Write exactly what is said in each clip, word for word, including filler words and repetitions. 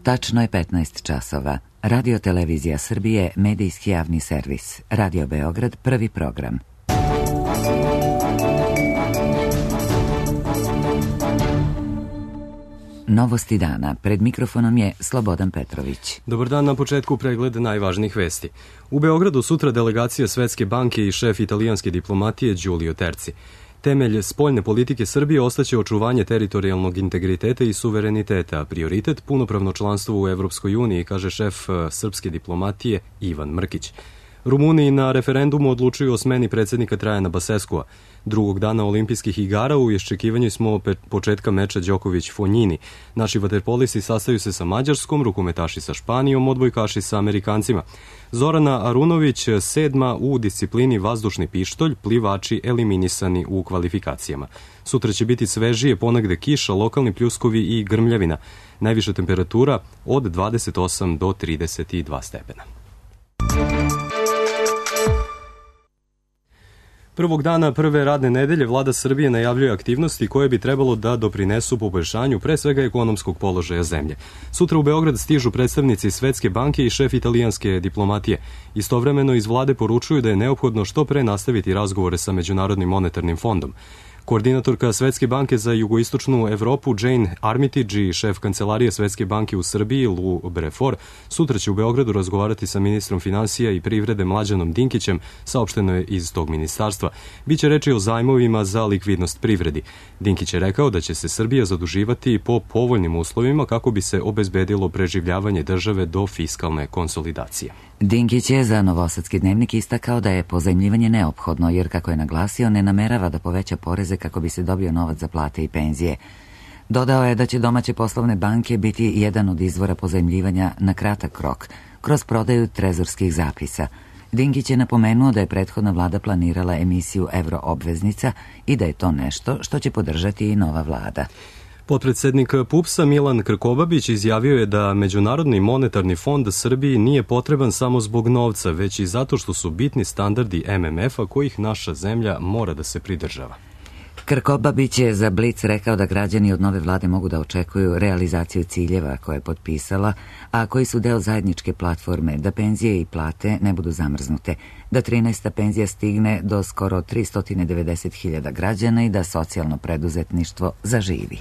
Tačno je petnaest časova. Radio Televizija Srbije, medijski javni servis. Radio Beograd, prvi program. Novosti dana. Pred mikrofonom je Slobodan Petrović. Dobar dan, na početku pregled najvažnijih vesti. U Beogradu sutra delegacija Svetske banke i šef italijanske diplomatije Giulio Terzi. Temelj spoljne politike Srbije ostaće očuvanje teritorijalnog integriteta i suvereniteta, a prioritet punopravno članstvo u Evropskoj uniji, kaže šef srpske diplomatije Ivan Mrkić. Rumuni na referendumu odlučuju o smeni predsjednika Trajana Baseskua. Drugog dana olimpijskih igara u iščekivanju smo početka meča Đoković-Fonjini. Naši vaterpolisti sastaju se sa Mađarskom, rukometaši sa Španijom, odbojkaši sa Amerikancima. Zorana Arunović sedma u disciplini vazdušni pištolj, plivači eliminisani u kvalifikacijama. Sutra će biti svežije, ponegde kiša, lokalni pljuskovi i grmljavina. Najviša temperatura od dvadeset osam do trideset dva stepena. Prvog dana prve radne nedelje vlada Srbije najavljuje aktivnosti koje bi trebalo da doprinesu poboljšanju pre svega ekonomskog položaja zemlje. Sutra u Beograd stižu predstavnici Svetske banke i šef italijanske diplomatije. Istovremeno iz vlade poručuju da je neophodno što pre nastaviti razgovore sa Međunarodnim monetarnim fondom. Koordinatorka Svetske banke za jugoistočnu Evropu Jane Armitage i šef kancelarije Svetske banke u Srbiji Lou Brefort sutra će u Beogradu razgovarati sa ministrom finansija i privrede Mlađanom Dinkićem, saopšteno je iz tog ministarstva. Biće reči o zajmovima za likvidnost privredi. Dinkić je rekao da će se Srbija zaduživati po povoljnim uslovima kako bi se obezbedilo preživljavanje države do fiskalne konsolidacije. Dinkić je za Novosadski dnevnik istakao da je pozajmljivanje neophodno, jer kako je naglasio, ne namerava da poveća poreze kako bi se dobio novac za plate i penzije. Dodao je da će domaće poslovne banke biti jedan od izvora pozajmljivanja na kratak rok, kroz prodaju trezorskih zapisa. Dinkić je napomenuo da je prethodna vlada planirala emisiju evroobveznica i da je to nešto što će podržati i nova vlada. Potpredsednik PUPS-a Milan Krkobabić izjavio je da Međunarodni monetarni fond Srbiji nije potreban samo zbog novca, već i zato što su bitni standardi M M F-a kojih naša zemlja mora da se pridržava. Krkobabić je za Blic rekao da građani od nove vlade mogu da očekuju realizaciju ciljeva koje je potpisala, a koji su deo zajedničke platforme, da penzije i plate ne budu zamrznute, da trinaesta penzija stigne do skoro tristo devedeset hiljada građana i da socijalno preduzetništvo zaživi.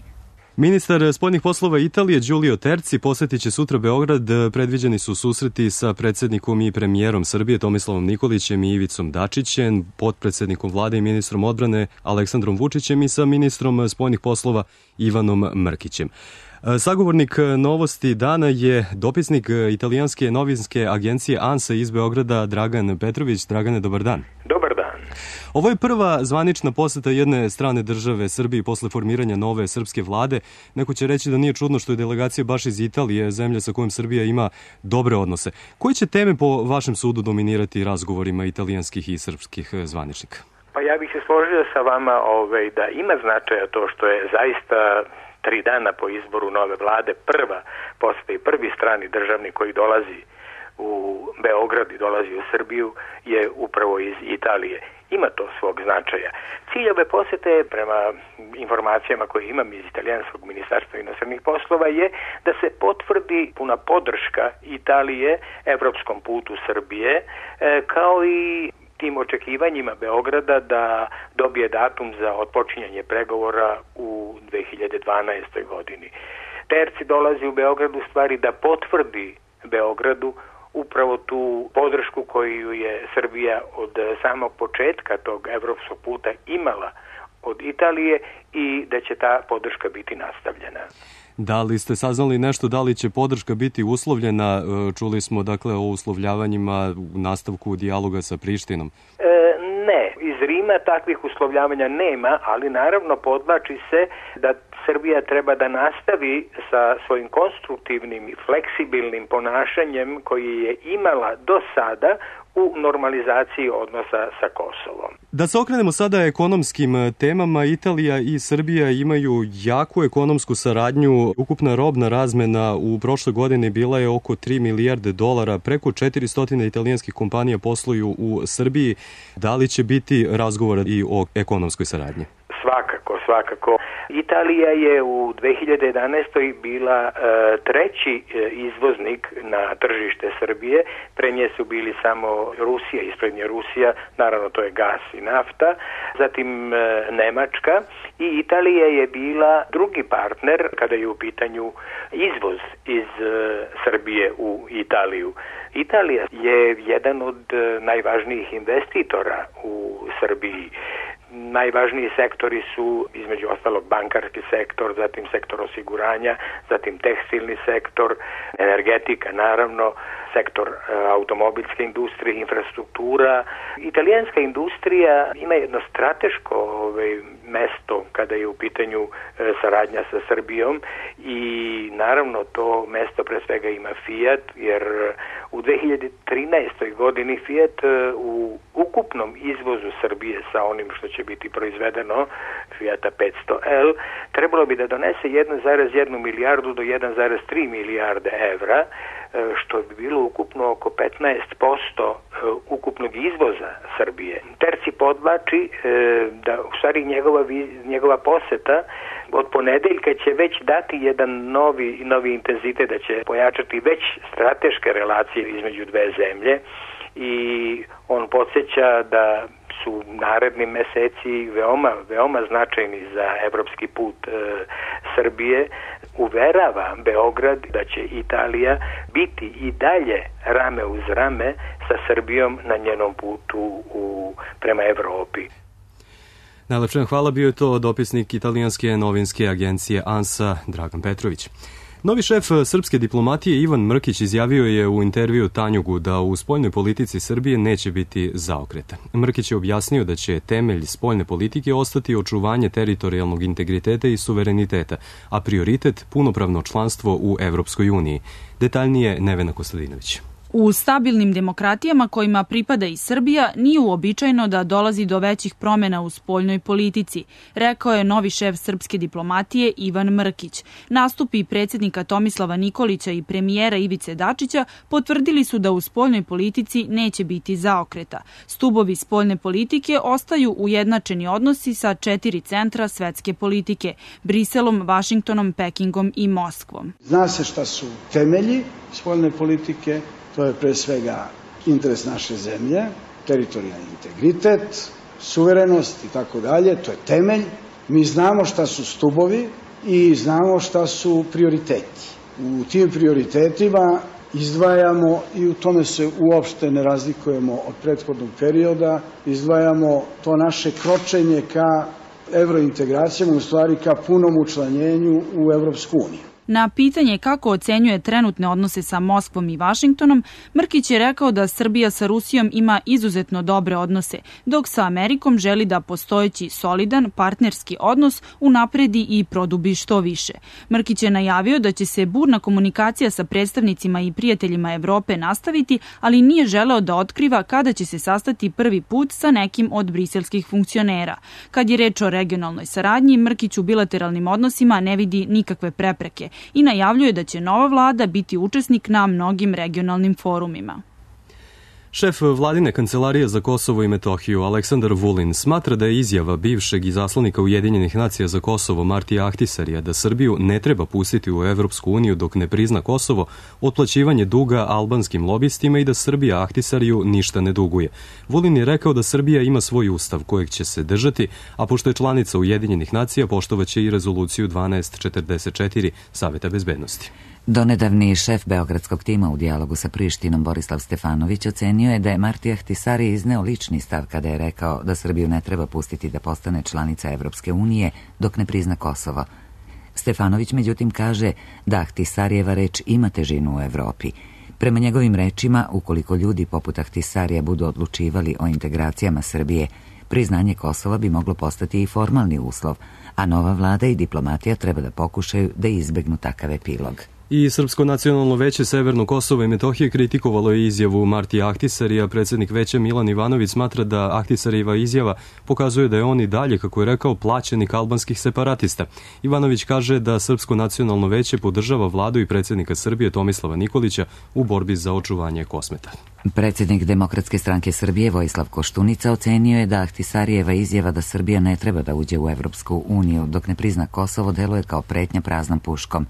Ministar spoljnih poslova Italije Giulio Terzi posjetit će sutra Beograd. Predviđeni su susreti sa predsjednikom i premijerom Srbije Tomislavom Nikolićem i Ivicom Dačićem, potpredsjednikom vlade i ministrom odbrane Aleksandrom Vučićem i sa ministrom spoljnih poslova Ivanom Mrkićem. Sagovornik novosti dana je dopisnik italijanske novinske agencije ANSA iz Beograda Dragan Petrović. Dragane, dobar dan. Dobar dan. Ovo je prva zvanična poseta jedne strane države Srbiji posle formiranja nove srpske vlade. Neko će reći da nije čudno što je delegacija baš iz Italije, zemlja sa kojom Srbija ima dobre odnose. Koje će teme po vašem sudu dominirati razgovorima italijanskih i srpskih zvaničnika? Pa ja bih se složio sa vama ovaj, da ima značaja to što je zaista tri dana po izboru nove vlade prva poseta i prvi strani državnik koji dolazi u Beograd i dolazi u Srbiju je upravo iz Italije. Ima to svog značaja. Cilj ove posete, prema informacijama koje imam iz italijanskog ministarstva inostranih poslova, je da se potvrdi puna podrška Italije evropskom putu Srbije, kao i tim očekivanjima Beograda da dobije datum za otpočinjanje pregovora u dve hiljade dvanaestoj godini. Terzi dolazi u Beograd u stvari da potvrdi Beogradu upravo tu podršku koju je Srbija od samog početka tog evropskog puta imala od Italije i da će ta podrška biti nastavljena. Da li ste saznali nešto, da li će podrška biti uslovljena? Čuli smo dakle o uslovljavanjima u nastavku dijaloga sa Prištinom. E, ne, iz Rima takvih uslovljavanja nema, ali naravno podvlači se da Srbija treba da nastavi sa svojim konstruktivnim i fleksibilnim ponašanjem koji je imala do sada u normalizaciji odnosa sa Kosovom. Da se okrenemo sada ekonomskim temama, Italija i Srbija imaju jaku ekonomsku saradnju. Ukupna robna razmena u prošloj godini bila je oko tri milijarde dolara. Preko četiristo italijanskih kompanija posluju u Srbiji. Da li će biti razgovora i o ekonomskoj saradnji? Svakako, svakako. Italija je u dve hiljade jedanaestoj bila treći izvoznik na tržište Srbije, pre nje su bili samo Rusija, ispred nje Rusija, naravno to je gas i nafta, zatim Nemačka i Italija je bila drugi partner kada je u pitanju izvoz iz Srbije u Italiju. Italija je jedan od najvažnijih investitora u Srbiji. Najvažniji sektori su između ostalog bankarski sektor, zatim sektor osiguranja, zatim tekstilni sektor, energetika naravno, sektor automobilske industrije, infrastruktura. Italijanska industrija ima jedno strateško ovaj, mesto kada je u pitanju e, saradnja sa Srbijom i naravno to mesto pre svega ima Fiat, jer u dve hiljade trinaestoj godini Fiat e, u ukupnom izvozu Srbije sa onim što će biti proizvedeno, Fiata petsto L, trebalo bi da donese jedan zarez jedan milijardu do jedan zarez tri milijarde evra, što bi bilo ukupno oko petnaest posto ukupnog izvoza Srbije. Terci podvlači da u stvari njegova, njegova poseta od ponedeljka će već dati jedan novi, novi intenzitet, da će pojačati već strateške relacije između dve zemlje i on podsjeća da su naredni meseci veoma, veoma značajni za evropski put e, Srbije. Uverava Beograd da će Italija biti i dalje rame uz rame sa Srbijom na njenom putu u, prema Evropi. Najlepše hvala, bio je to dopisnik italijanske novinske agencije ANSA Dragan Petrović. Novi šef srpske diplomatije Ivan Mrkić izjavio je u intervju Tanjugu da u spoljnoj politici Srbije neće biti zaokreta. Mrkić je objasnio da će temelj spoljne politike ostati očuvanje teritorijalnog integriteta i suvereniteta, a prioritet punopravno članstvo u Evropskoj uniji. Detaljnije Nevena Kostadinović. U stabilnim demokratijama kojima pripada i Srbija nije uobičajeno da dolazi do većih promjena u spoljnoj politici, rekao je novi šef srpske diplomatije Ivan Mrkić. Nastupi predsjednika Tomislava Nikolića i premijera Ivice Dačića potvrdili su da u spoljnoj politici neće biti zaokreta. Stubovi spoljne politike ostaju ujednačeni odnosi sa četiri centra svetske politike, Briselom, Vašingtonom, Pekingom i Moskvom. Zna se šta su temelji spoljne politike. To je pre svega interes naše zemlje, teritorijalni integritet, suverenost i tako dalje. To je temelj. Mi znamo šta su stubovi i znamo šta su prioriteti. U tim prioritetima izdvajamo, i u tome se uopšte ne razlikujemo od prethodnog perioda, izdvajamo to naše kročenje ka evrointegracijama, u stvari ka punom učlanjenju u Evropsku uniju. Na pitanje kako ocenjuje trenutne odnose sa Moskvom i Vašingtonom, Mrkić je rekao da Srbija sa Rusijom ima izuzetno dobre odnose, dok sa Amerikom želi da postojeći solidan partnerski odnos unapredi i produbi što više. Mrkić je najavio da će se burna komunikacija sa predstavnicima i prijateljima Evrope nastaviti, ali nije želeo da otkriva kada će se sastati prvi put sa nekim od briselskih funkcionera. Kad je reč o regionalnoj saradnji, Mrkić u bilateralnim odnosima ne vidi nikakve prepreke i najavljuje da će nova vlada biti učesnik na mnogim regionalnim forumima. Šef vladine kancelarije za Kosovo i Metohiju Aleksandar Vulin smatra da je izjava bivšeg izaslanika Ujedinjenih nacija za Kosovo Martija Ahtisarija da Srbiju ne treba pustiti u Evropsku uniju dok ne prizna Kosovo otplaćivanje duga albanskim lobistima i da Srbija Ahtisariju ništa ne duguje. Vulin je rekao da Srbija ima svoj ustav kojeg će se držati, a pošto je članica Ujedinjenih nacija poštovaće i rezoluciju dvanaest četrdeset četiri Saveta bezbednosti. Donedavni šef beogradskog tima u dijalogu sa Prištinom Borislav Stefanović ocenio je da je Martija Ahtisari izneo lični stav kada je rekao da Srbiju ne treba pustiti da postane članica Evropske unije dok ne prizna Kosovo. Stefanović međutim kaže da Ahtisarijeva reč ima težinu u Evropi. Prema njegovim rečima, ukoliko ljudi poput Ahtisarija budu odlučivali o integracijama Srbije, priznanje Kosova bi moglo postati i formalni uslov, a nova vlada i diplomatija treba da pokušaju da izbegnu takav epilog. I Srpsko nacionalno veće Severno Kosovo i Metohije kritikovalo je izjavu Martija Ahtisarija. Predsjednik veća Milan Ivanović smatra da Ahtisarijeva izjava pokazuje da je on i dalje, kako je rekao, plaćenik albanskih separatista. Ivanović kaže da Srpsko nacionalno veće podržava vladu i predsjednika Srbije Tomislava Nikolića u borbi za očuvanje Kosmeta. Predsjednik Demokratske stranke Srbije Vojislav Koštunica ocenio je da Ahtisarijeva izjava da Srbija ne treba da uđe u Evropsku uniju dok ne prizna Kosovo deluje kao pretnja praznom puškom.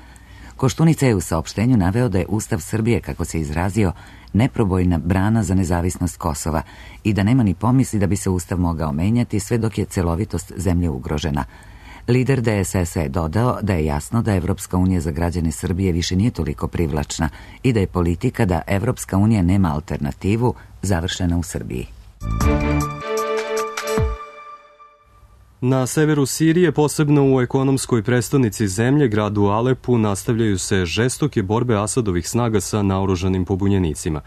Koštunica je u saopštenju naveo da je Ustav Srbije, kako se izrazio, neprobojna brana za nezavisnost Kosova i da nema ni pomisli da bi se Ustav mogao menjati sve dok je celovitost zemlje ugrožena. Lider D S S-a je dodao da je jasno da Evropska unija za građane Srbije više nije toliko privlačna i da je politika da Evropska unija nema alternativu završena u Srbiji. Na severu Sirije, posebno u ekonomskoj prestonici zemlje, gradu Alepu, nastavljaju se žestoke borbe Asadovih snaga sa naoružanim pobunjenicima.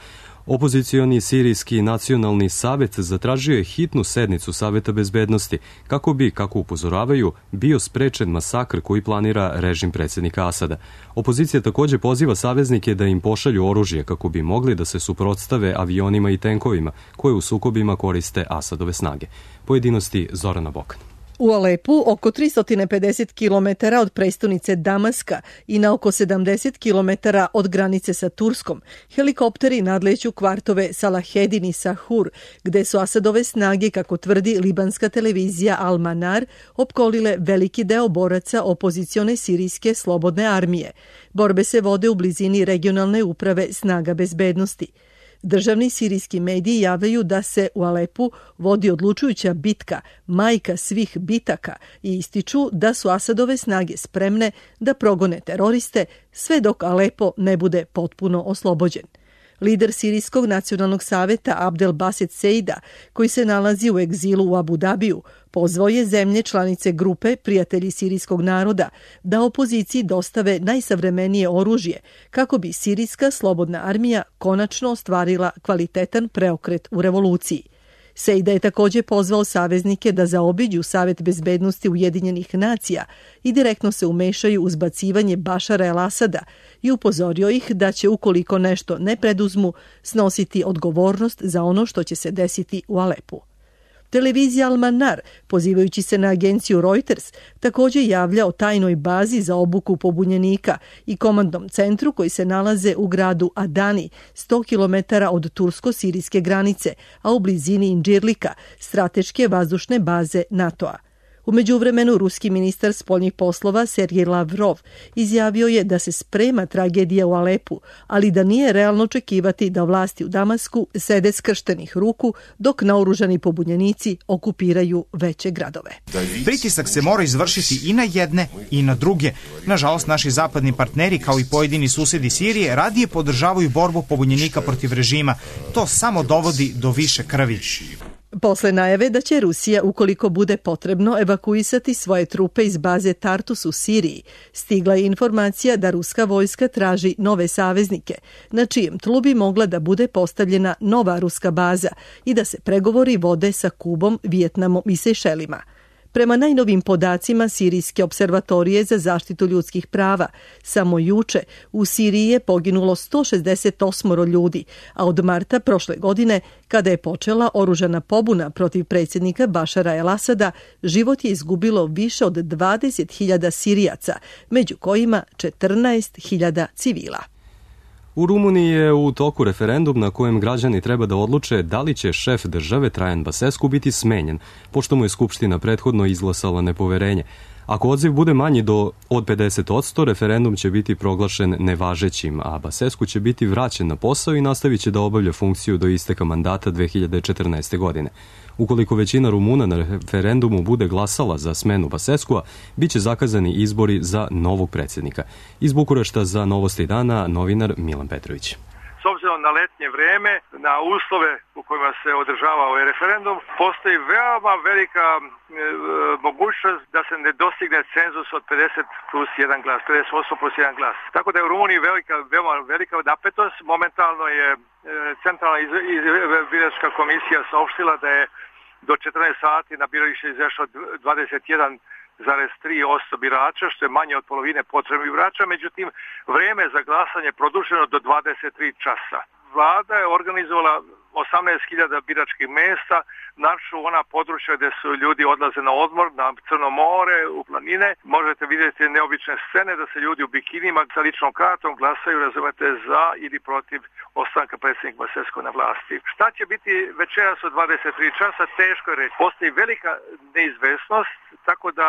Opozicioni Sirijski nacionalni savet zatražio je hitnu sednicu Saveta bezbednosti kako bi, kako upozoravaju, bio sprečen masakr koji planira režim predsjednika Asada. Opozicija također poziva saveznike da im pošalju oružje kako bi mogli da se suprotstave avionima i tenkovima koje u sukobima koriste Asadove snage. Pojedinosti Zorana Bokan. U Alepu, oko tristo pedeset kilometara od prestonice Damaska i na oko sedamdeset kilometara od granice sa Turskom, helikopteri nadleću kvartove Salahedin i Sahur, gde su Asadove snage, kako tvrdi libanska televizija Al-Manar, opkolile veliki deo boraca opozicione sirijske slobodne armije. Borbe se vode u blizini regionalne uprave snaga bezbednosti. Državni sirijski mediji javljaju da se u Alepu vodi odlučujuća bitka, majka svih bitaka, i ističu da su Asadove snage spremne da progone teroriste sve dok Alepo ne bude potpuno oslobođen. Lider Sirijskog nacionalnog saveta Abdel Baset Seida, koji se nalazi u egzilu u Abu Dabiju, pozvao je zemlje članice grupe Prijatelji sirijskog naroda da opoziciji dostave najsavremenije oružje kako bi sirijska slobodna armija konačno ostvarila kvalitetan preokret u revoluciji. Seida je također pozvao saveznike da zaobiđu Savet bezbednosti Ujedinjenih nacija i direktno se umešaju u zbacivanje Bašara el-Asada i upozorio ih da će, ukoliko nešto ne preduzmu, snositi odgovornost za ono što će se desiti u Alepu. Televizija Al-Manar, pozivajući se na agenciju Reuters, također javlja o tajnoj bazi za obuku pobunjenika i komandnom centru koji se nalaze u gradu Adani, sto kilometara od tursko-sirijske granice, a u blizini Indžirlika, strateške vazdušne baze NATO-a. U međuvremenu, ruski ministar spoljnih poslova Sergej Lavrov izjavio je da se sprema tragedija u Alepu, ali da nije realno očekivati da vlasti u Damasku sede skrštenih ruku dok naoružani pobunjenici okupiraju veće gradove. Pritisak se mora izvršiti i na jedne i na druge. Nažalost, naši zapadni partneri, kao i pojedini susedi Sirije, radije podržavaju borbu pobunjenika protiv režima. To samo dovodi do više krvi. Posle najave da će Rusija, ukoliko bude potrebno, evakuisati svoje trupe iz baze Tartus u Siriji, stigla je informacija da ruska vojska traži nove saveznike, na čijem tlu bi mogla da bude postavljena nova ruska baza i da se pregovori vode sa Kubom, Vijetnamom i Sejšelima. Prema najnovim podacima Sirijske observatorije za zaštitu ljudskih prava, samo juče u Siriji je poginulo sto šezdeset osam ljudi, a od marta prošle godine, kada je počela oružana pobuna protiv predsjednika Bašara el-Asada, život je izgubilo više od dvadeset hiljada Sirijaca, među kojima četrnaest hiljada civila. U Rumuniji je u toku referendum na kojem građani treba da odluče da li će šef države Trajan Basescu biti smenjen, pošto mu je Skupština prethodno izglasala nepoverenje. Ako odziv bude manji do od pedeset posto, referendum će biti proglašen nevažećim, a Basescu će biti vraćen na posao i nastavit će da obavlja funkciju do isteka mandata dve hiljade četrnaeste. godine. Ukoliko većina Rumuna na referendumu bude glasala za smenu Basescua, bit će zakazani izbori za novog predsjednika. Iz Bukurešta za Novosti dana novinar Milan Petrović. S obzirom na letnje vreme, na uslove u kojima se održava ovaj referendum, postoji veoma velika e, mogućnost da se ne dostigne cenzus od pedeset plus jedan glas, pedeset posto plus jedan glas. Tako da je u Rumuniji velika, veoma velika napetost. Momentalno je e, Centralna biračka komisija saopštila da je do četrnaest sati na biralište izašao dvadeset jedan zarez tri posto birača, što je manje od polovine potrebnih birača, međutim, vreme za glasanje produženo do dvadeset tri časa. Vlada je organizovala osamnaest hiljada biračkih mesta, našu ona područja gde su ljudi odlaze na odmor, na Crno more, u planine. Možete vidjeti neobične scene da se ljudi u bikinima sa ličnom kartom glasaju, razumete, za ili protiv ostanka predsjednika Basescu na vlasti. Šta će biti večeras od dvadeset tri časa, teško je reći. Postoji velika neizvesnost, tako da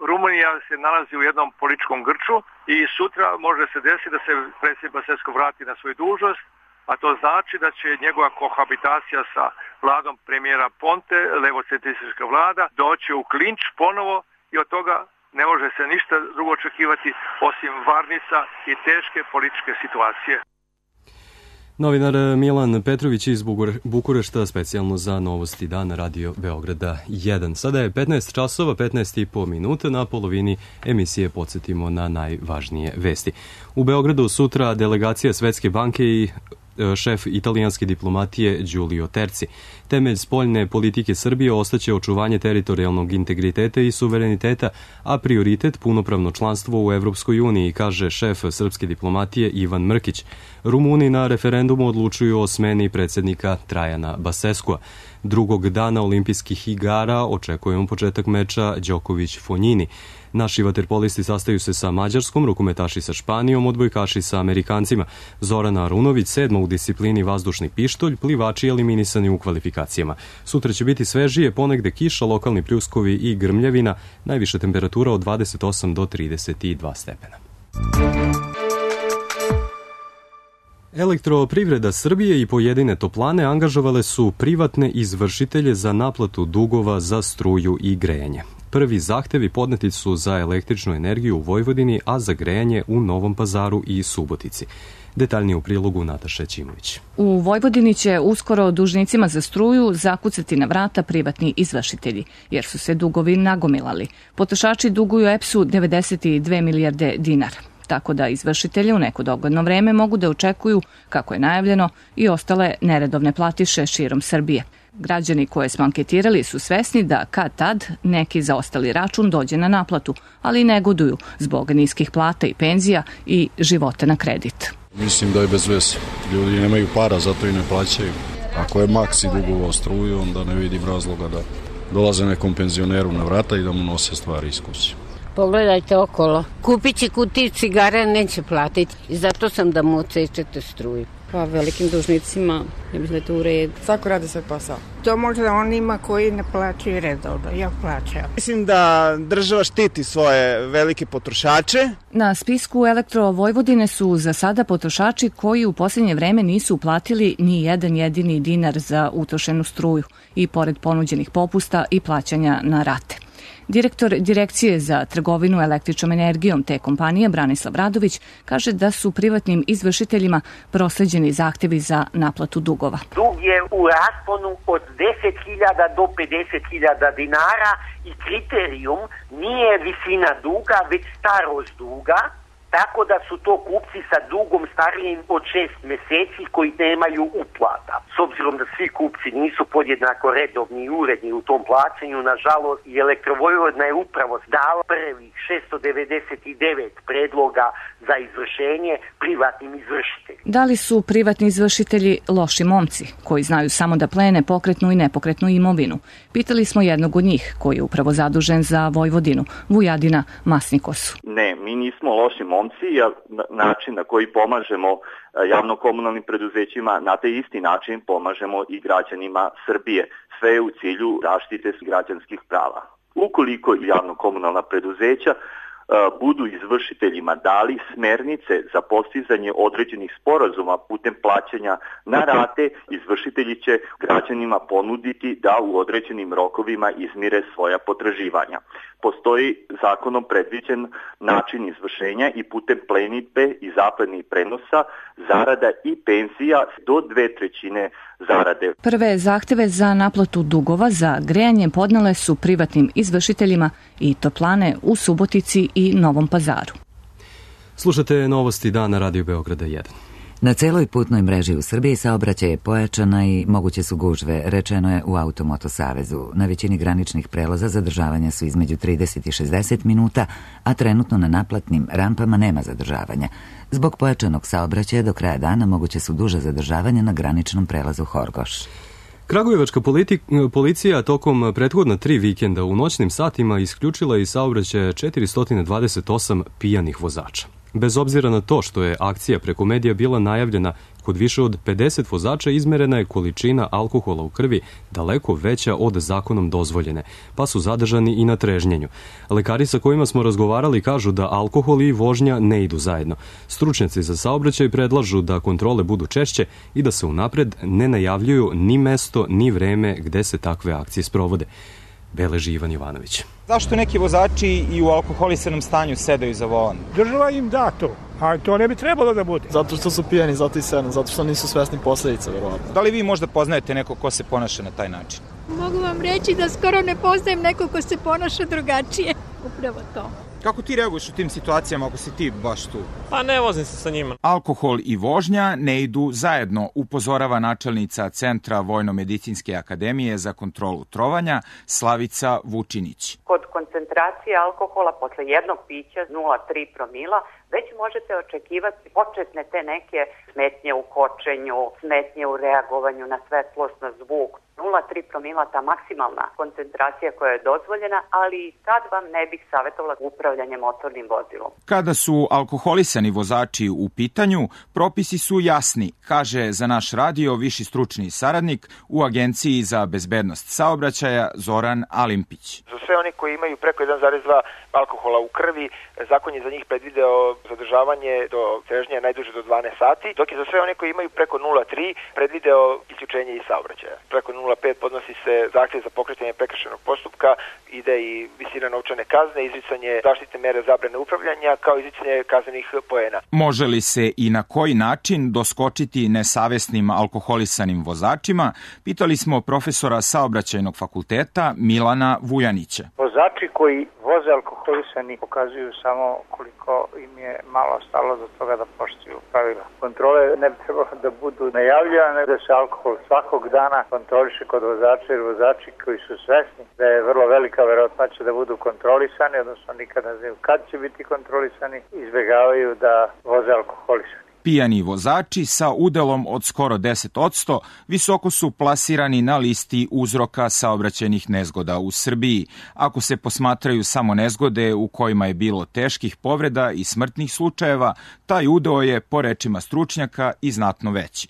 Rumunija se nalazi u jednom političkom grču i sutra može se desiti da se predsjednik Basescu vrati na svoju dužnost, a to znači da će njegova kohabitacija sa vladom premijera Ponte, levocentristička vlada, doći u klinč ponovo i od toga ne može se ništa drugo očekivati osim varnica i teške političke situacije. Novinar Milan Petrović iz Bukurešta, specijalno za Novosti dana Radio Beograda jedan. Sada je petnaest časova, petnaest i po minuta, na polovini emisije podsjetimo na najvažnije vesti. U Beogradu sutra delegacija Svetske banke i šef italijanske diplomatije Giulio Terzi. Temelj spoljne politike Srbije ostaće očuvanje teritorijalnog integriteta i suvereniteta, a prioritet punopravno članstvo u Evropskoj uniji, kaže šef srpske diplomatije Ivan Mrkić. Rumuni na referendumu odlučuju o smeni predsjednika Trajana Baseskua. Drugog dana olimpijskih igara očekujemo početak meča Đoković-Fonjini. Naši vaterpolisti sastaju se sa Mađarskom, rukometaši sa Španijom, odbojkaši sa Amerikancima. Zorana Arunović sedma u disciplini vazdušni pištolj, plivači eliminisani u kvalifikacijama. Sutra će biti svežije, ponegde kiša, lokalni pljuskovi i grmljavina, najviša temperatura od dvadeset osam do trideset dva stepena. Elektroprivreda Srbije i pojedine toplane angažovale su privatne izvršitelje za naplatu dugova za struju i grejanje. Prvi zahtevi podneti su za električnu energiju u Vojvodini, a za grejanje u Novom Pazaru i Subotici. Detaljnije u prilogu Nataše Ćimović. U Vojvodini će uskoro dužnicima za struju zakucati na vrata privatni izvršitelji, jer su se dugovi nagomilali. Potrošači duguju E P S-u devedeset dve milijarde dinara. Tako da izvršitelji u neko dogledno vreme mogu da očekuju, kako je najavljeno, i ostale neredovne platiše širom Srbije. Građani koje smo anketirali su svesni da kad tad neki zaostali račun dođe na naplatu, ali negoduju zbog niskih plata i penzija i života na kredit. Mislim da je bez veze. Ljudi nemaju para, zato i ne plaćaju. Ako je maksi dugovao struju, onda ne vidim razloga da dolaze nekom penzioneru na vrata i da mu nose stvari iz kuće. Pogledajte okolo. Kupit će kutiju cigara, neće platiti. I zato sam da mu odsečete struju. Pa velikim dužnicima, ja mislim da je to u redu. Svako radi svoj posao. To možda onima koji ne plaćaju redovno, ja plaćam. Mislim da država štiti svoje velike potrošače. Na spisku Elektro Vojvodine su za sada potrošači koji u posljednje vreme nisu uplatili ni jedan jedini dinar za utrošenu struju i pored ponuđenih popusta i plaćanja na rate. Direktor Direkcije za trgovinu električnom energijom te kompanije Branislav Radović kaže da su privatnim izvršiteljima prosleđeni zahtevi za naplatu dugova. Dug je u rasponu od deset hiljada do pedeset hiljada dinara i kriterijum nije visina duga, već starost duga, tako da su to kupci sa dugom starijim od šest meseci koji nemaju uplata. S obzirom da svi kupci nisu podjednako redovni i uredni u tom plaćanju, nažalost i Elektrovojvodina je upravo dala prvih šesto devedeset devet predloga za izvršenje privatnim izvršiteljima. Da li su privatni izvršitelji loši momci koji znaju samo da plene pokretnu i nepokretnu imovinu? Pitali smo jednog od njih koji je upravo zadužen za Vojvodinu, Vujadina Masnikosu. Ne, mi nismo loši momci. Način na koji pomažemo javno-komunalnim preduzećima, na taj isti način pomažemo i građanima Srbije. Sve je u cilju zaštite građanskih prava. Ukoliko javno-komunalna preduzeća budu izvršiteljima dali smernice za postizanje određenih sporazuma putem plaćanja na rate, izvršitelji će građanima ponuditi da u određenim rokovima izmire svoja potraživanja. Postoji zakonom predviđen način izvršenja i putem plenitbe i zapladnih prenosa, zarada i penzija do dve trećine zarade. Prve zahteve za naplatu dugova za grejanje podnele su privatnim izvršiteljima i toplane u Subotici i Novom Pazaru. Slušate Novosti dana Radio Beograda jedan. Na celoj putnoj mreži u Srbiji saobraćaj je pojačana i moguće su gužve, rečeno je u Automoto savezu. Na većini graničnih prelaza zadržavanja su između trideset i šezdeset minuta, a trenutno na naplatnim rampama nema zadržavanja. Zbog pojačanog saobraćaja do kraja dana moguće su duža zadržavanja na graničnom prelazu Horgoš. Kragujevačka policija tokom prethodna tri vikenda u noćnim satima isključila iz saobraćaja četiristo dvadeset osam pijanih vozača. Bez obzira na to što je akcija preko medija bila najavljena, kod više od pedeset vozača izmerena je količina alkohola u krvi daleko veća od zakonom dozvoljene, pa su zadržani i na trežnjenju. Lekari sa kojima smo razgovarali kažu da alkohol i vožnja ne idu zajedno. Stručnjaci za saobraćaj predlažu da kontrole budu češće i da se unapred ne najavljuju ni mesto ni vreme gde se takve akcije sprovode. Beleži Ivan Jovanović. Zašto neki vozači i u alkoholisanom stanju sedaju za volan? Država im da to, a to ne bi trebalo da bude. Zato što su pijani, zato i sedam, zato što nisu svesni posledica, verovatno. Da li vi možda poznajete neko ko se ponaša na taj način? Mogu vam reći da skoro ne poznajem neko ko se ponaša drugačije. Upravo to. Kako ti reaguješ u tim situacijama ako si ti baš tu? Pa ne vozim se sa njima. Alkohol i vožnja ne idu zajedno, upozorava načelnica Centra Vojno-medicinske akademije za kontrolu trovanja Slavica Vučinić. Kod koncentracije alkohola posle jednog pića nula zarez tri promila već možete očekivati početne te neke smetnje u kočenju, smetnje u reagovanju na svetlost, na zvuk. nula zarez tri promila ta maksimalna koncentracija koja je dozvoljena, ali tad vam ne bih savjetovala upravljanje motornim vozilom. Kada su alkoholisani vozači u pitanju, propisi su jasni, kaže za naš radio viši stručni saradnik u Agenciji za bezbednost saobraćaja Zoran Alimpić. Za sve oni koji imaju preko jedan zarez dva alkohola u krvi, zakon je za njih predvideo zadržavanje do trežnje najduže do dvanaest sati, dok je za sve oni koji imaju preko nula zarez tri predvideo isključenje iz saobraćaja. Preko nula zarez pet podnosi se zahtjev za pokretanje prekršajnog postupka, ide i visina novčane kazne, izricanje zaštitne mere zabrane upravljanja, kao izricanje kaznenih poena. Može li se i na koji način doskočiti nesavesnim alkoholisanim vozačima, pitali smo profesora saobraćajnog fakulteta Milana Vujanića. Vozači koji voze alkoholisani pokazuju samo koliko im je malo stalo do toga da poštuju pravila. Kontrole ne bi trebalo da budu najavljane, da se alkohol svakog dana kontroliše kod vozača, jer vozači koji su svesni da je vrlo velika verovatnoća da budu kontrolisani, odnosno nikada ne znaju kad će biti kontrolisani, izbegavaju da voze alkoholisani. Pijani vozači sa udelom od skoro deset posto visoko su plasirani na listi uzroka saobraćajnih nezgoda u Srbiji. Ako se posmatraju samo nezgode u kojima je bilo teških povreda i smrtnih slučajeva, taj udeo je, po rečima stručnjaka, i znatno veći.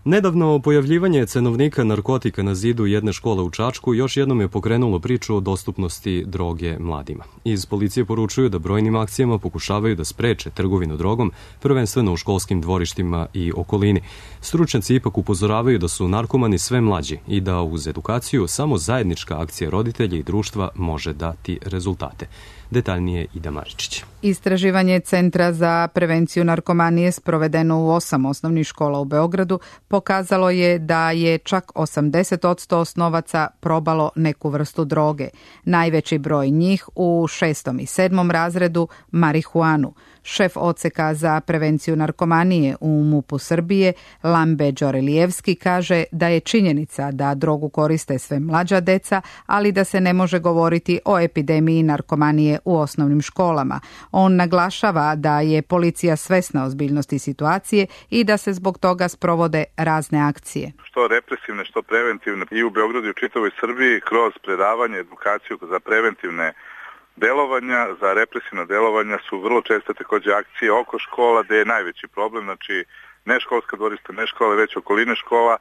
Nedavno pojavljivanje cenovnika narkotika na zidu jedne škole u Čačku još jednom je pokrenulo priču o dostupnosti droge mladima. Iz policije poručuju da brojnim akcijama pokušavaju da spreče trgovinu drogom, prvenstveno u školskim dvorištima i okolini. Stručnjaci ipak upozoravaju da su narkomani sve mlađi i da uz edukaciju samo zajednička akcija roditelja i društva može dati rezultate. Detaljnije Ida Maričić. Istraživanje Centra za prevenciju narkomanije sprovedeno u osam osnovnih škola u Beogradu pokazalo je da je čak osamdeset posto osnovaca probalo neku vrstu droge. Najveći broj njih u šestom i sedmom razredu marihuanu. Šef odseka za prevenciju narkomanije u MUP-u Srbije, Lambe Đorelijevski, kaže da je činjenica da drogu koriste sve mlađa deca, ali da se ne može govoriti o epidemiji narkomanije u osnovnim školama. On naglašava da je policija svesna ozbiljnosti situacije i da se zbog toga sprovode razne akcije. Što represivne, što preventivne i u Beogradu i u čitavoj Srbiji kroz predavanje, edukaciju za preventivne delovanja, za represivna delovanja su vrlo česte takođe akcije oko škola, gde je najveći problem, znači ne školska dvorišta, ne škole, već okoline škola,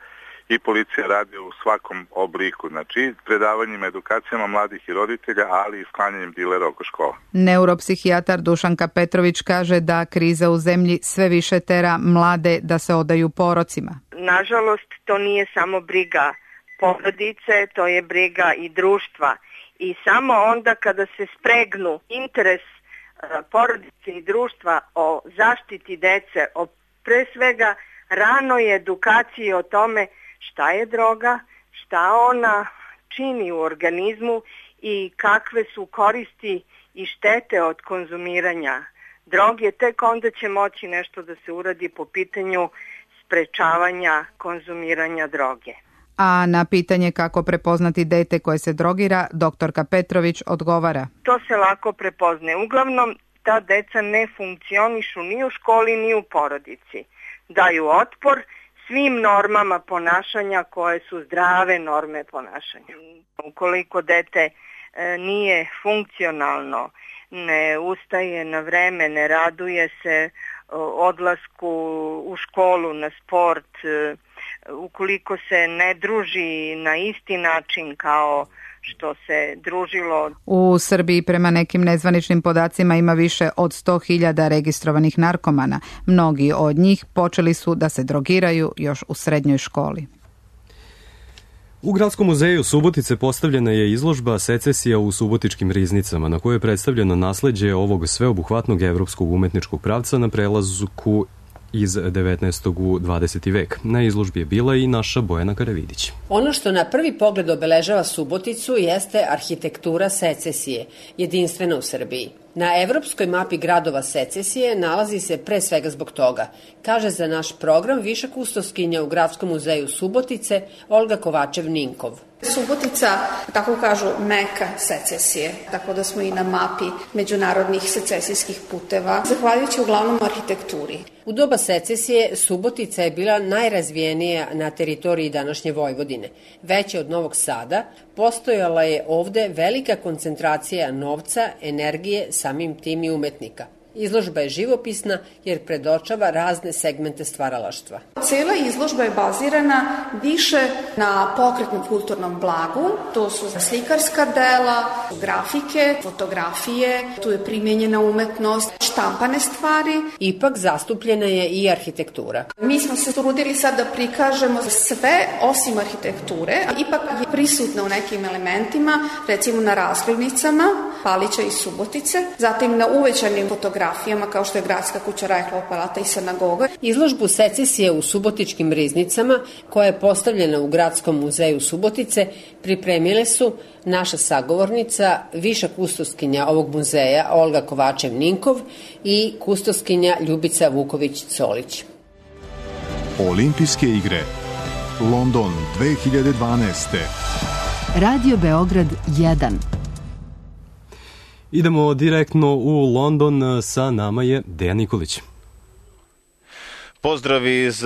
i policija radi u svakom obliku, znači predavanjima, edukacijama mladih i roditelja, ali i sklanjanjem dilera oko škola. Neuropsihijatar Dušanka Petrović kaže da kriza u zemlji sve više tera mlade da se odaju porocima. Nažalost, to nije samo briga porodice, to je briga i društva. I samo onda kada se spregnu interes porodice i društva o zaštiti dece, o pre svega ranoj edukaciji o tome šta je droga, šta ona čini u organizmu i kakve su koristi i štete od konzumiranja droge, tek onda će moći nešto da se uradi po pitanju sprečavanja konzumiranja droge. A na pitanje kako prepoznati dete koje se drogira, doktorka Petrović odgovara. To se lako prepoznaje. Uglavnom, ta deca ne funkcionišu ni u školi ni u porodici. Daju otpor svim normama ponašanja koje su zdrave norme ponašanja. Ukoliko dete e, nije funkcionalno, ne ustaje na vreme, ne raduje se odlasku u školu, na sport, ukoliko se ne druži na isti način kao što se družilo. U Srbiji prema nekim nezvaničnim podacima ima više od sto hiljada registrovanih narkomana. Mnogi od njih počeli su da se drogiraju još u srednjoj školi. U Gradskom muzeju Subotice postavljena je izložba Secesija u subotičkim riznicama, na kojoj je predstavljeno nasleđe ovog sveobuhvatnog evropskog umetničkog pravca na prelazku iz devetnaestog u dvadeseti vek. Na izložbi je bila i naša Bojana Karavidić. Ono što na prvi pogled obeležava Suboticu jeste arhitektura secesije, jedinstvena u Srbiji. Na evropskoj mapi gradova secesije nalazi se pre svega zbog toga, kaže za naš program viša kustoskinja u Gradskom muzeju Subotice Olga Kovačev-Ninkov. Subotica, tako kažu, meka secesije, tako da smo i na mapi međunarodnih secesijskih puteva, zahvaljujući uglavnom arhitekturi. U doba secesije Subotica je bila najrazvijenija na teritoriji današnje Vojvodine. Veća od Novog Sada, postojala je ovde velika koncentracija novca, energije, samim tim i umetnika. Izložba je živopisna jer predočava razne segmente stvaralaštva. Cela izložba je bazirana više na pokretnom kulturnom blagu, to su slikarska dela, grafike, fotografije, tu je primjenjena umetnost, štampane stvari. Ipak zastupljena je i arhitektura. Mi smo se trudili sad da prikažemo sve osim arhitekture, ipak je prisutna u nekim elementima, recimo na razglednicama Palića i Subotice, zatim na uvećanim fotografijama kao što je Gradska kuća, Rajhlova palata i sinagoga. Izložbu secesije u subotičkim riznicama, koja je postavljena u Gradskom muzeju Subotice, pripremile su naša sagovornica, viša kustoskinja ovog muzeja Olga Kovačev-Ninkov i kustoskinja Ljubica Vuković-Solić. Olimpijske igre London dve hiljade dvanaeste. Radio Beograd jedan. Idemo direktno u London, sa nama je Dejan Nikolić. Pozdrav iz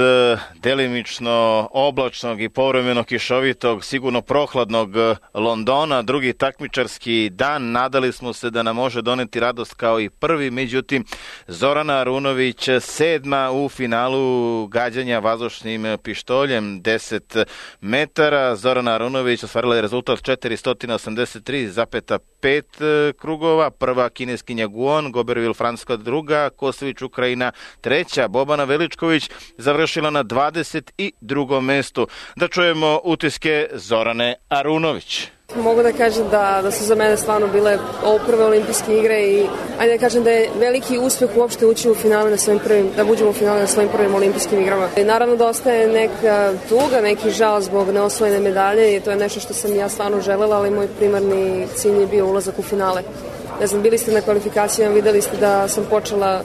delimično oblačnog i povremeno kišovitog, sigurno prohladnog Londona. Drugi takmičarski dan, nadali smo se da nam može doneti radost kao i prvi, međutim Zorana Arunović sedma u finalu gađanja vazdušnim pištoljem deset metara. Zorana Arunović ostvarila je rezultat četiristo osamdeset tri zarez pet krugova. Prva kineskinja Guon, Gobervil Francuska druga, Kosović Ukrajina treća, Bobana Veličković završila na dvadeset drugom mestu. Da čujemo utiske Zorane Arunović. Mogu da kažem da, da su za mene stvarno bile ovo prve olimpijske igre i ajde da kažem da je veliki uspeh uopšte ući u finale na svojim prvim, da buđemo u finale na svojim prvim olimpijskim igrama. I naravno da ostaje neka tuga, neki žal zbog neosvojene medalje i to je nešto što sam ja stvarno želela, ali moj primarni cilj je bio ulazak u finale. Ne znam, bili ste na kvalifikacijama, videli ste da sam počela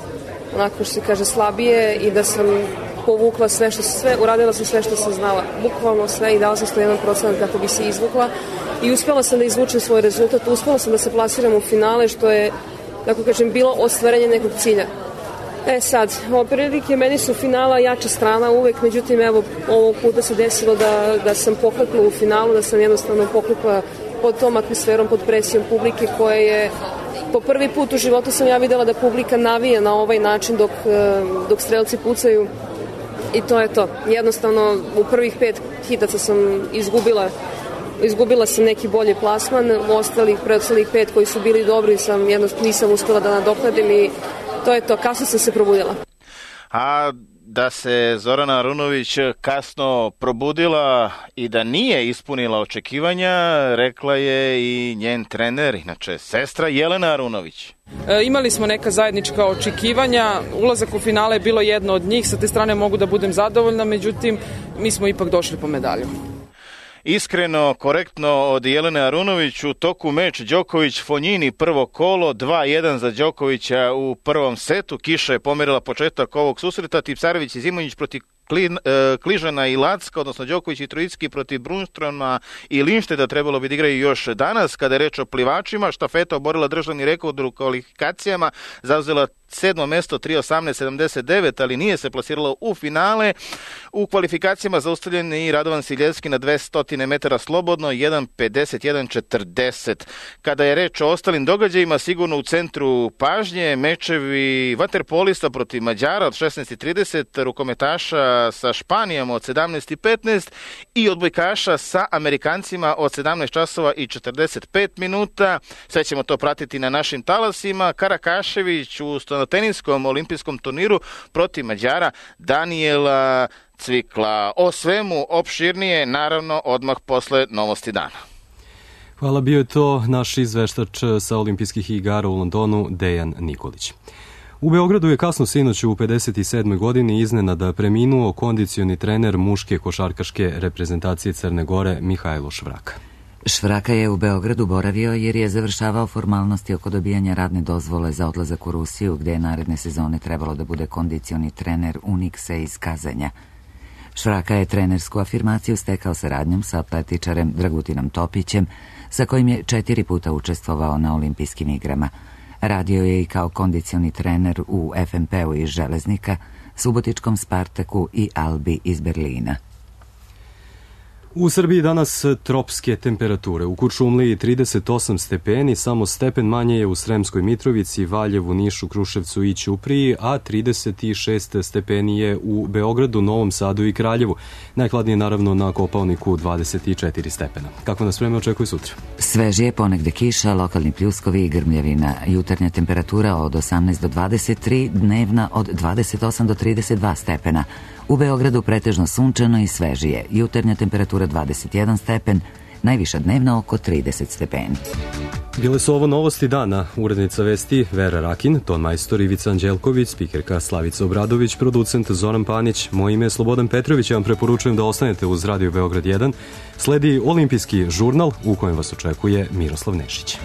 onako što se kaže slabije i da sam povukla sve što sve, uradila sam sve što sam znala, bukvalno sve i dala sam sto jedan procenat kako bi se izvukla i uspela sam da izvučem svoj rezultat, uspela sam da se plasiram u finale što je, tako kažem, bilo ostvarenje nekog cilja. E sad, ovo prilike meni su finala jača strana uvek, međutim evo ovog puta se desilo da, da sam poklekla u finalu, da sam jednostavno poklekla pod tom atmosferom, pod presijom publike koja je po prvi put u životu sam ja videla da publika navija na ovaj način dok, dok strelci pucaju i to je to. Jednostavno u prvih pet hitaca sam izgubila izgubila sam neki bolji plasman, u ostalih, preostalih pet koji su bili dobri sam jednostavno nisam uspela da nadoknadim i to je to, kasno sam se probudila. A da se Zorana Arunović kasno probudila i da nije ispunila očekivanja, rekla je i njen trener, inače sestra Jelena Arunović. E, imali smo neka zajednička očekivanja, ulazak u finale je bilo jedno od njih, sa te strane mogu da budem zadovoljna, međutim mi smo ipak došli po medalju. Iskreno, korektno od Jelene Arunović. U toku meč Đoković-Fonjini, prvo kolo, dva jedan za Đokovića u prvom setu. Kiša je pomerila početak ovog susreta. Tipsarević i Zimonjić protiv Klin, e, Kližana i Lacka, odnosno Đoković i Trojicki protiv Brunstroma i Linšteda trebalo bi da igraju još danas. Kada je reč o plivačima, štafeta oborila državni rekord u kvalifikacijama, zauzela sedmo mesto, tri osamnaest sedamdeset devet, ali nije se plasiralo u finale. U kvalifikacijama zaustavljen i Radovan Siljevski na dvesta metara slobodno, jedan pedeset jedan četrdeset. Kada je reč o ostalim događajima, sigurno u centru pažnje mečevi vaterpolista protiv Mađara od šesnaest trideset, rukometaša sa Španijom od sedamnaest petnaest i odbojkaša sa Amerikancima od sedamnaest časova i četrdeset pet minuta. Sve ćemo to pratiti na našim talasima. Karakašević u teniskom olimpijskom turniru protiv Mađara Danijela Cvikla. O svemu opširnije, naravno, odmah posle novosti dana. Hvala, bio je to naš izveštač sa olimpijskih igara u Londonu, Dejan Nikolić. U Beogradu je kasno sinoć u pedeset sedmoj godini iznenada preminuo kondicioni trener muške košarkaške reprezentacije Crne Gore Mihajlo Švraka. Švraka je u Beogradu boravio jer je završavao formalnosti oko dobijanja radne dozvole za odlazak u Rusiju, gde je naredne sezone trebalo da bude kondicioni trener Unikse iz Kazanja. Švraka je trenersku afirmaciju stekao saradnjom sa atletičarem Dragutinom Topićem, sa kojim je četiri puta učestvovao na olimpijskim igrama. Radio je i kao kondicioni trener u F M P-u iz Železnika, Subotičkom Spartaku i Albi iz Berlina. U Srbiji danas tropske temperature. U Kuršumliji trideset osam stepeni, samo stepen manje je u Sremskoj Mitrovici, Valjevu, Nišu, Kruševcu i Ćupriji, a trideset šest stepeni je u Beogradu, Novom Sadu i Kraljevu. Najhladnije naravno na Kopaoniku dvadeset četiri stepena. Kako nas vreme očekuje sutra? Svežije, ponegde kiša, lokalni pljuskovi i grmljavina. Jutarnja temperatura od osamnaest do dvadeset tri, dnevna od dvadeset osam do trideset dva stepena. U Beogradu pretežno sunčano i svežije. Jutarnja temperatura dvadeset jedan stepen, najviša dnevna oko trideset stepeni. Bile su ovo novosti dana. Urednica vesti Vera Rakin, ton majstor Ivica Anđelković, spikerka Slavica Obradović, producent Zoran Panić. Moje ime je Slobodan Petrović, ja vam preporučujem da ostanete uz Radio Beograd jedan. Sledi olimpijski žurnal u kojem vas očekuje Miroslav Nešić.